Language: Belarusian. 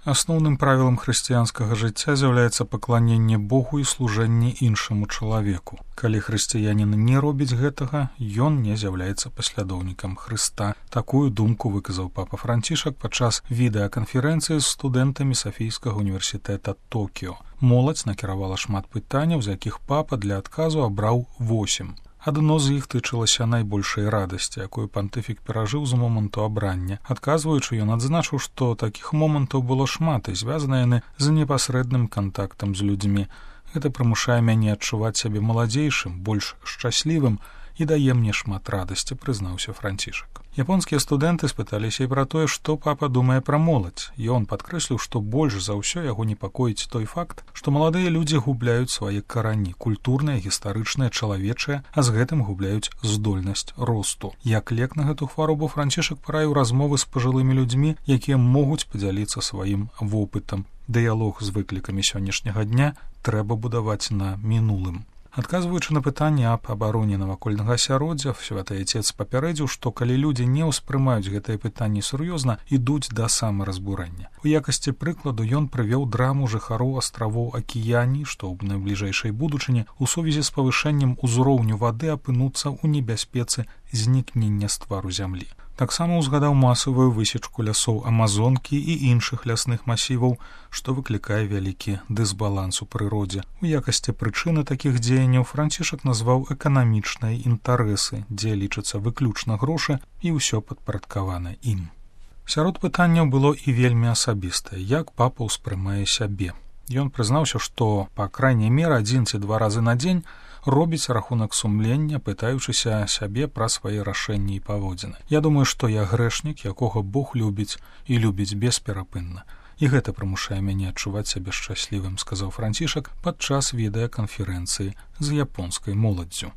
Асноўным правілам хрысціянскага жыцця з'яўляецца пакланенне Богу і служэнне іншаму чалавеку. Калі хрысціянін не робіць гэтага, ён не з'яўляецца паслядоўнікам Хрыста. Такую думку выказаў папа Францішак падчас відэаканферэнцыі з студэнтамі Сафійскага універсітэта Токіо. Моладзь накіравала шмат пытанняў, з якіх папа для адказу абраў 8. Адно з іх тычылася найбольшай радасці, якую пантыфік перажыў з моманту абрання. Адказваючы, ён адзначыў, што такіх момантаў было шмат і звязаныя яны з непасрэдным кантактам з людзьмі. Гэта прымушае мяне адчуваць сябе маладзейшым, больш шчаслівым і дае мне шмат радасці, прызнаўся Францішак. Японскія студэнты спыталіся і пра тое, што папа думае пра моладзь. Ён падкрэсліў, што больш за ўсё яго непакоіць той факт, што маладыя людзі губляюць свае карані, культурныя, гістарычныя, чалавечыя, а з гэтым губляюць здольнасць росту. Як лек на гэту хваробу Францішак параіў размовы з пажылымі людзьмі, якія могуць падзяліцца сваім вопытам. Дыялог з выклікамі сённяшняга дня трэба будаваць на мінулым. Адказваючы на пытанне аб абароне навакольнага асяроддзя, Святы Айцец папярэдзіў, што калі людзі не ўспрымаюць гэтыя пытанні сур'ёзна, ідуць да самаразбурэння. У якасці прыкладу ён прывёў драму жыхароў астравоў Акіяні, што ў найбліжэйшай будучыні ў сувязі з павышэннем узроўню вады апынуцца ў небяспецы знікнення з твару зямлі. Таксама ўзгадаў масавую высечку лясоў Амазонкі і іншых лясных масіваў, што выклікае вялікі дысбаланс у прыродзе. У якасці прычыны такіх дзеянняў Францішак назваў эканамічныя інтарэсы, дзе лічацца выключна грошы і ўсё падпарадкавана ім. Сярод пытанняў было і вельмі асабістае, як папа ўспрымае сябе. Ён прызнаўся, што, па крайняй меры, 1 ці 2 разы на дзень робіць рахунак сумлення, пытаючыся сябе пра свае рашэнні і паводзіны. Я думаю, што я грэшнік, якога Бог любіць і любіць бесперапынна. І гэта прымушае мяне адчуваць сябе шчаслівым, сказаў Францішак падчас відэаканферэнцыі з японскай моладдзю.